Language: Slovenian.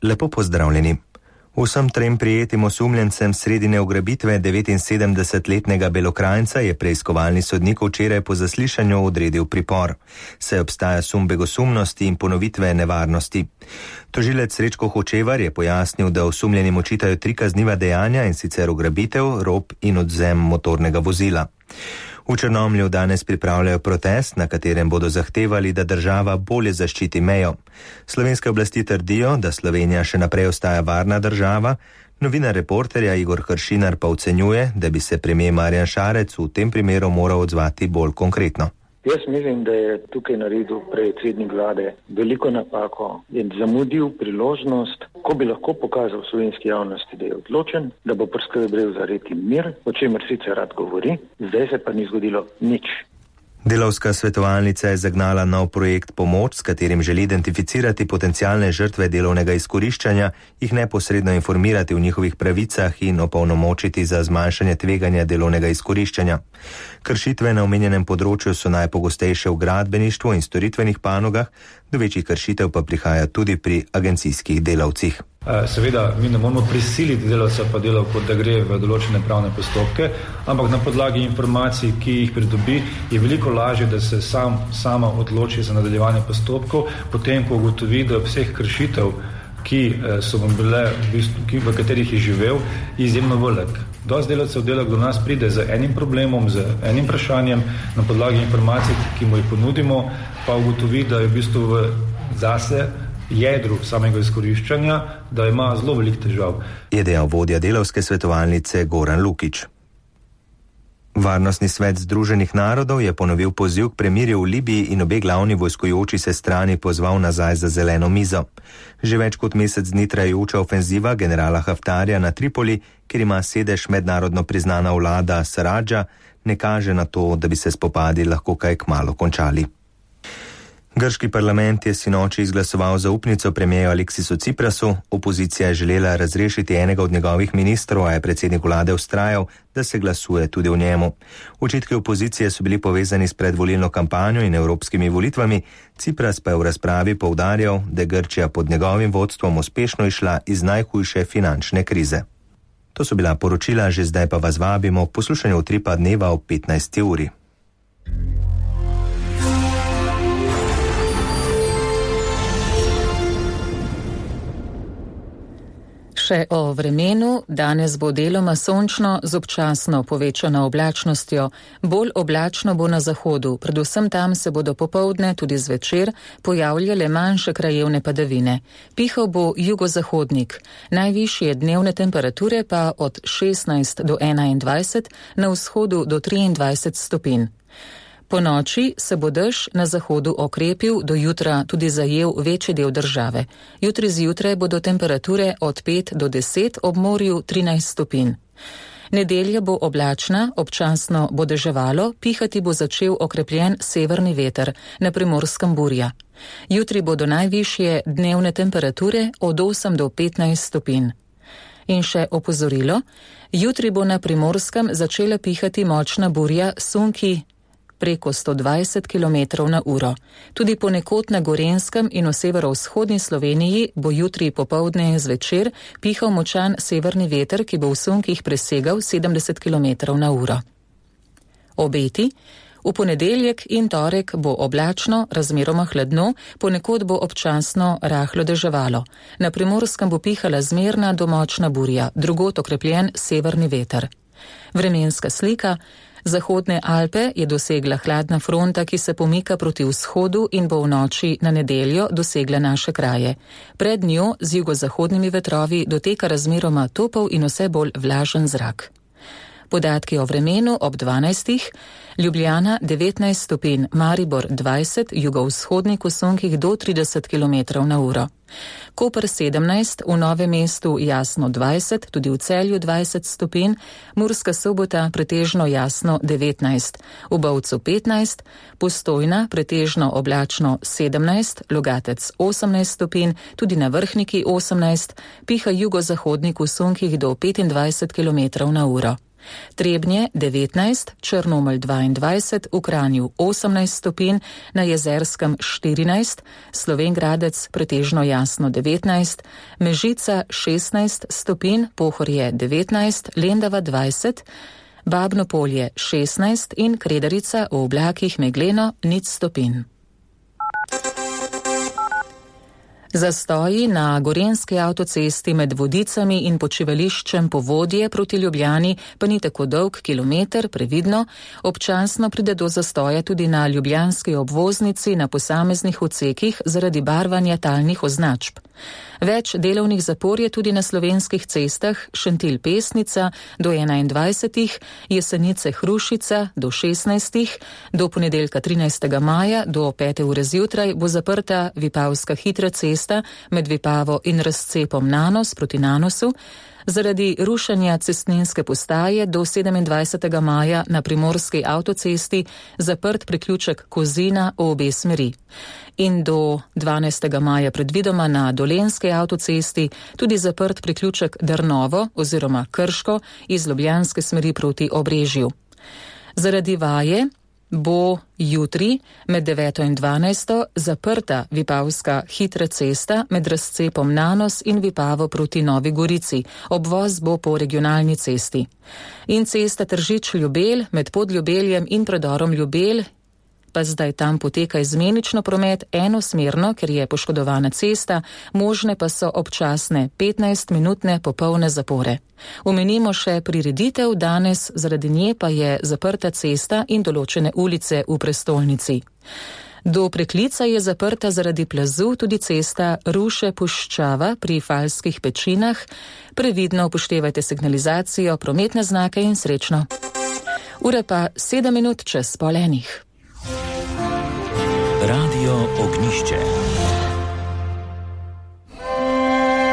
Lepo pozdravljeni. Vsem trem prijetim osumljencem sredine ugrabitve 79-letnega Belokranjca je preiskovalni sodnik včeraj po zaslišanju odredil pripor, saj obstaja sum begosumnosti in ponovitve nevarnosti. Tožilec Srečko Hočevar je pojasnil, da osumljenim očitajo 3 kazniva dejanja, in sicer ugrabitev, rop in odvzem motornega vozila. V Črnomlju danes pripravljajo protest, na katerem bodo zahtevali, da država bolje zaščiti mejo. Slovenske oblasti trdijo, da Slovenija še naprej ostaja varna država, novinar Reporterja Igor Hršinar pa ocenjuje, da bi se premier Marjan Šarec v tem primeru moral odzvati bolj konkretno. Jaz mislim, da je tukaj naredil predsednik vlade veliko napako in zamudil priložnost, ko bi lahko pokazal slovenski javnosti, da je odločen, da bo poskrbel za red in mir, o čemer sicer rad govori, zdaj se pa ni zgodilo nič. Delavska svetovalnica je zagnala nov projekt Pomoč, s katerim želi identificirati potencialne žrtve delovnega izkoriščanja, jih neposredno informirati o njihovih pravicah in opolnomočiti za zmanjšanje tveganja delovnega izkoriščanja. Kršitve na omenjenem področju so najpogostejše v gradbeništvu in storitvenih panogah, do večjih kršitev pa prihaja tudi pri agencijskih delavcih. Seveda, mi ne moramo prisiliti delavca pa delavko, da gre v določene pravne postopke, ampak na podlagi informacij, ki jih pridobi, je veliko lažje, da se sama odloči za nadaljevanje postopkov, potem, ko ugotovi, da vseh kršitev, ki so bile, v katerih je živel, izjemno velik. Dosti delavcev do nas pride z enim problemom, z enim vprašanjem, na podlagi informacij, ki mu jih ponudimo, pa ugotovi, da je v bistvu zase jedru samega izkoriščanja, da ima zelo velik težav. Je dejal vodja delavske svetovalnice Goran Lukić. Varnostni svet Združenih narodov je ponovil poziv k premirju v Libiji in obe glavni vojskujoči se strani pozval nazaj za zeleno mizo. Že več kot mesec dni trajajoča ofenziva generala Haftarja na Tripoli, kjer ima sedež mednarodno priznana vlada Saradža, ne kaže na to, da bi se spopadi lahko kaj kmalu končali. Grški parlament je sinoči izglasoval zaupnico premierju Aleksisu Ciprasu, opozicija je želela razrešiti enega od njegovih ministrov, a je predsednik vlade vztrajal, da se glasuje tudi o njemu. Očitki opozicije so bili povezani s predvolilno kampanjo in evropskimi volitvami, Cipras pa je v razpravi poudarjal, da je Grčija pod njegovim vodstvom uspešno išla iz najhujše finančne krize. To so bila poročila, že zdaj pa vas vabimo k poslušanju Utripa dneva ob 15. uri. Še o vremenu. Danes bo deloma sončno z občasno povečano oblačnostjo. Bolj oblačno bo na zahodu, predvsem tam se bodo popoldne tudi zvečer pojavljale manjše krajevne padavine. Pihal bo jugozahodnik. Najvišje dnevne temperature pa od 16 do 21, na vzhodu do 23 stopinj. Po noči se bo dež na zahodu okrepil, do jutra tudi zajel večji del države. Jutri zjutraj bodo temperature od 5 do 10, ob morju 13 stopinj. Nedelja bo oblačna, občasno bo deževalo, pihati bo začel okrepljen severni veter, na Primorskem burja. Jutri bodo najvišje dnevne temperature od 8 do 15 stopinj. In še opozorilo, jutri bo na Primorskem začela pihati močna burja Sunki preko 120 km na uro. Tudi ponekod na Gorenjskem in v severovzhodni Sloveniji bo jutri popoldne in zvečer pihal močan severni veter, ki bo v Sunkih presegal 70 km na uro. Obeti. V ponedeljek in torek bo oblačno, razmeroma hladno, ponekod bo občasno rahlo deževalo. Na Primorskem bo pihala zmerna do močna burja, drugod okrepljen severni veter. Vremenska slika. Zahodne Alpe je dosegla hladna fronta, ki se pomika proti vzhodu in bo v noči na nedeljo dosegla naše kraje. Pred njo z jugozahodnimi vetrovi doteka razmeroma topel in vse bolj vlažen zrak. Podatki o vremenu ob 12. Ljubljana 19 stopinj, Maribor 20, jugovzhodnik v Sunkih do 30 km na uro. Koper 17, v Novem mestu jasno 20, tudi v Celju 20 stopinj, Murska Sobota pretežno jasno 19, v Bovcu 15, Postojna pretežno oblačno 17, Logatec 18 stopinj, tudi na Vrhniki 18, piha jugozahodnik v Sunkih do 25 km na uro. Trebnje 19, Črnomelj 22, v Kranju 18 stopinj, na Jezerskem 14, Slovenj Gradec pretežno jasno 19, Mežica 16 stopinj, Pohorje 19, Lendava 20, Babno Polje 16 in Kredarica v oblakih megleno 0 stopinj. Zastoji na Gorenjski avtocesti med Vodicami in počivališčem Povodje proti Ljubljani pa ni tako dolg kilometer, previdno, občasno pride do zastoja tudi na ljubljanski obvoznici na posameznih odsekih zaradi barvanja talnih označb. Več delovnih zapor je tudi na slovenskih cestah Šentilj-Pesnica do 21, Jesenice-Hrušica do 16, do ponedeljka 13. maja do 5. ure zjutraj bo zaprta Vipavska hitra cesta med Vipavo in razcepom Nanos proti Nanosu, zaradi rušenja cestninske postaje do 27. maja na Primorski avtocesti zaprt priključek Kozina v obe smeri. In do 12. maja predvidoma na Dolenjski avtocesti tudi zaprt priključek Drnovo oziroma Krško iz ljubljanske smeri proti Obrežju. Zaradi vaje bo jutri med 9. in 12. zaprta Vipavska hitra cesta med razcepom Nanos in Vipavo proti Novi Gorici. Obvoz bo po regionalni cesti. In cesta Tržič-Ljubelj med Podljubeljem in predorom Ljubelj, pa zdaj tam poteka izmenično promet enosmerno, ker je poškodovana cesta, možne pa so občasne 15-minutne popolne zapore. Omenimo še prireditev danes, zaradi nje pa je zaprta cesta in določene ulice v prestolnici. Do Preklica je zaprta zaradi plazu tudi cesta Ruše-Puščava pri Falskih pečinah. Previdno upoštevajte signalizacijo, prometne znake in srečno. Ura pa 7 minut čez pol enih. Radio Ognišče.